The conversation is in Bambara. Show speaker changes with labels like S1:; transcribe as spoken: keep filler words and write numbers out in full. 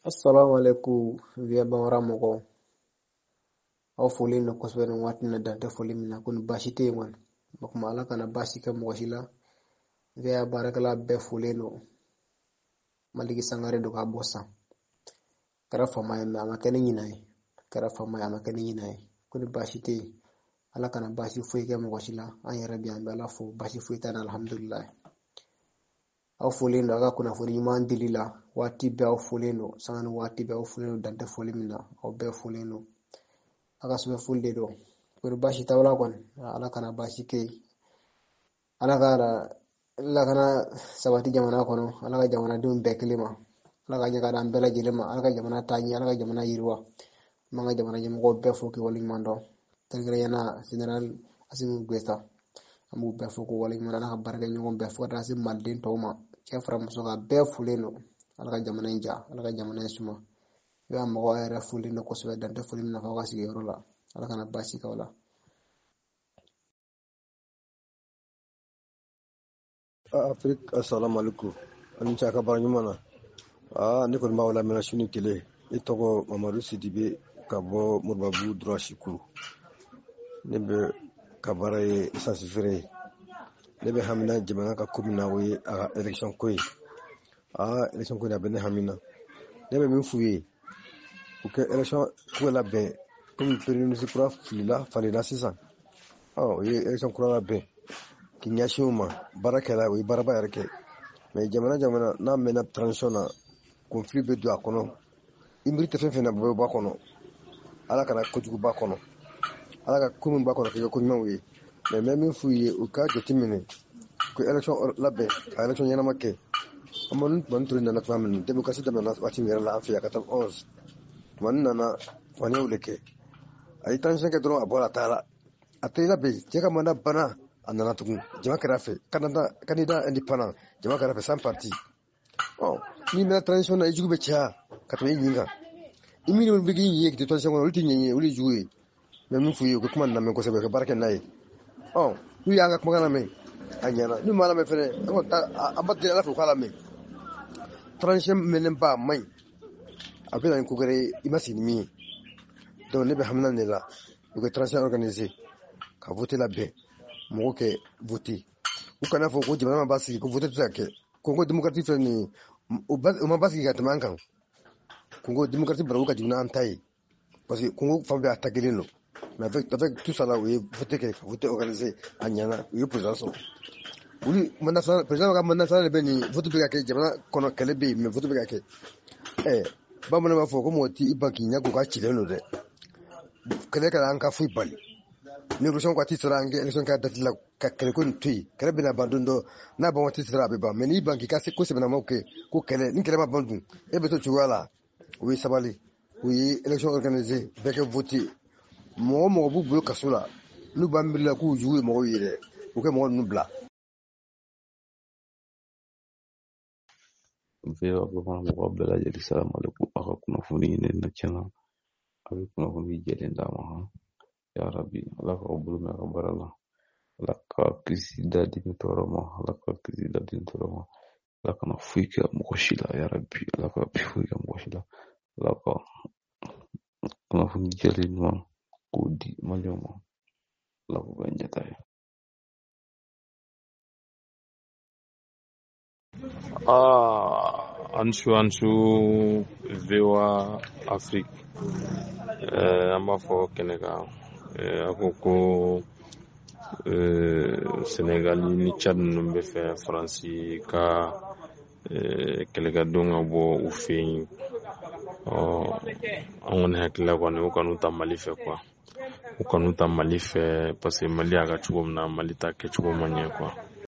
S1: Assalamu alaikum V O A Bambara mɔgɔw. Aw folen don kosɛbɛ nin waati in na, dan tɛ foli min na, ko ni baasi tɛ yen kɔni. O tuma Ala kana baasi kɛ mɔgɔ si la. V O A baarakɛla bɛɛ folen don. Maliki Sangare don k'a bɔ san. Kɛra faama ye mɛ a ma kɛ ni ɲinan ye. Kɛra faama ye a ma kɛ ni ɲinan ye. Ko ni baasi tɛ yen. Ala kana baasi foyi kɛ mɔgɔ si la. An yɛrɛ bi an bɛ Ala fo, baasi foyi t'an na, alhamdulilayi. Aw folen don a ka kunnafoni ɲuman dili la. Waati bɛɛ aw folen don, sanga ni waati bɛɛ aw folen don, dan tɛ foli min na, aw bɛɛ folen don. A ka sɛbɛn foli de don. Ko ni baasi t'aw la kɔni, Ala kana baasi kɛ yen. Ala ka lakana sabati jamana kɔnɔ, Ala ka jamanadenw bɛɛ kelen ma, Ala ka ɲɛ ka d'an bɛɛ lajɛlen ma, Ala ka jamana taa ɲɛ, Ala ka jamana yiriwa. An b'an ka jamana ɲɛmɔgɔw bɛɛ fo k'i waleɲuman dɔn. Kɛrɛnkɛrɛnnenya la Général Assimi Goïta, an b'u bɛɛ fo k'u waleɲuman dɔn. Ala ka baarakɛɲɔgɔn bɛɛ fo ka taa se maliden tɔw ma, cɛ fara muso kan, bɛɛ folen don. Ala ka jamana in ja, Ala ka jamana in suma. I b'a mɔgɔw yɛrɛ folen don kosɛbɛ, dan tɛ foli min na f'aw ka sigiyɔrɔ la. Ala kana baasi k'aw la.
S2: Afrique, assalamu alaikum. Ani ce a ka baara ɲuman na. Aa, ne kɔni b'aw lamɛnna su ni tile. Ne tɔgɔ Mamadu Sidibe ka bɔ Moribabu droit Sikuru. Ne bɛ ka baara ye essence feere ye. Ne bɛ hamina jamana ka ko min na, o ye a ka élection ko ye. Aa, élection ko in a bɛ ne hamina. Ne bɛ min f'u ye, u ka élection ko labɛn komi premier ministre kura filila falenna sisan. Ɔ, u ye élection kura labɛn k'i ɲɛsin o ma, baara kɛra, o ye baaraba yɛrɛ kɛ. Mais jamana jamana n'a mɛnna transition na, conflit bɛ don a kɔnɔ. I miiri tɛ fɛn fɛn na, bɛɛ bɛ bɔ a kɔnɔ. Ala kana kojugu b'a kɔnɔ. Ala ka ko min b'a kɔnɔ k'i kɛ ko ɲumanw ye. Mais n bɛ min f'u ye, u k'a jateminɛ ko élection labɛn, ka élection ɲɛnama kɛ. Amadu Tumani Ture nana tuma min na, démocratie daminɛna waati min yɛrɛ la an fɛ yan quatre-vingt-onze. Tumani nana faniyaw de kɛ. A ye transition kɛ dɔrɔn, a bɔra a taara. A tɛ labɛn, cɛ ka mandat banna, a nana tugun. Jama kɛra a fɛ, candidat candidat indépendant, jama kɛra a fɛ sans parti. Ɔ, n'i mɛnna transition na, i jugu bɛ caya ka tɛmɛ i ɲin kan. I minnu bɛ k'i ɲin ye k'i to transition kɔnɔ, olu t'i ɲɛ ye, olu ye jugu ye. N bɛ min f'u ye, u ka kuma lamɛn kosɛbɛ, ka baara kɛ n'a ye. Ɔ, n'u y'an ka kumakan lamɛn, a ɲɛna. N'u m'a lamɛn fɛnɛ, an kɔni t'a, an b'a deli Ala fɛ u k'a lamɛn. Transition mɛnnenba a man ɲi. A bɛ na ni ko wɛrɛ ye, i ma sigi ni min ye. Donc ne bɛ hamina de la, u ka transition organiser, ka vote labɛn, mɔgɔw kɛ vote. U kana fɔ ko jamana ma basigi, ko vote tɛ se ka kɛ. Congo démocratique filɛ nin ye, o ma basigi ka tɛmɛ an kan. Congo démocratique barabu ka jigin n'an ta ye. Parce que Congo fan bɛɛ a ta kelen don. Mais avec, avec tout ça là, u ye vote kɛ, ka vote organiser, a ɲɛna, u ye président sɔrɔ. Olu mandat filanan, président ka mandat filanan de bɛ nin vote bɛ ka kɛ jamana kɔnɔ, kɛlɛ bɛ yen, mais vote bɛ ka kɛ. Ɛ, bamananw b'a fɔ ko mɔgɔ t'i ban k'i ɲɛ ko k'a cilen don dɛ. Kɛlɛ kana an ka foyi bali. Ni élection waati sera, an ka élection kɛ date la, ka kɛlɛ ko nin to yen. Kɛlɛ bɛna ban don dɔ, n'a ban waati sera a bɛ ban. Mais n'i ban k'i ka se ko sɛbɛnnamaw kɛ, ko kɛlɛ, ni kɛlɛ ma ban dun, e bɛ to cogoya la. O ye sabali. U ye élection organiser, bɛɛ kɛ vote. Mɔgɔ mɔgɔ b'u bolo kaso la, n'u b'a miiri la k'u jugu ye mɔgɔw ye dɛ, u kɛ mɔgɔ ninnu bila.
S3: V O A Bambara mɔgɔw bɛɛ lajɛlen, salamu alaikum. A ka kunnafoni ɲini na tiɲɛna, a bɛ kunnafoni jɛlen d'a ma. Han, ya Rabi, Ala k'aw bolo mɛn a ka baara la. Ala ka kisi dadimi tɔɔrɔ ma, Ala ka kisi dadimi tɔɔrɔ ma. Ala kana foyi kɛ mɔgɔ si la, ya Rabi, Ala ka foyi kɛ mɔgɔ si la. Ala ka kunnafoni jɛlen ɲuman k'o di maliyɛnw ma. Ala k'u bɛn ɲɛta ye.
S4: Ah, ansu ansu V O A Afrique. Eh, an b'a fɔ kɛnɛ kan. Eh, a ko ko, eh, Senegal ni Tchad ninnu bɛ fɛ Faransi ka, eh, kɛlɛkɛdenw ka bɔ u fɛ yen. Ɔ, an kɔni hakili la kɔni, u kan'u ta Mali fɛ quoi. U kan'u ta Mali fɛ parce que Mali y'a ka cogo min na, Mali ta kɛcogo ma ɲɛ quoi.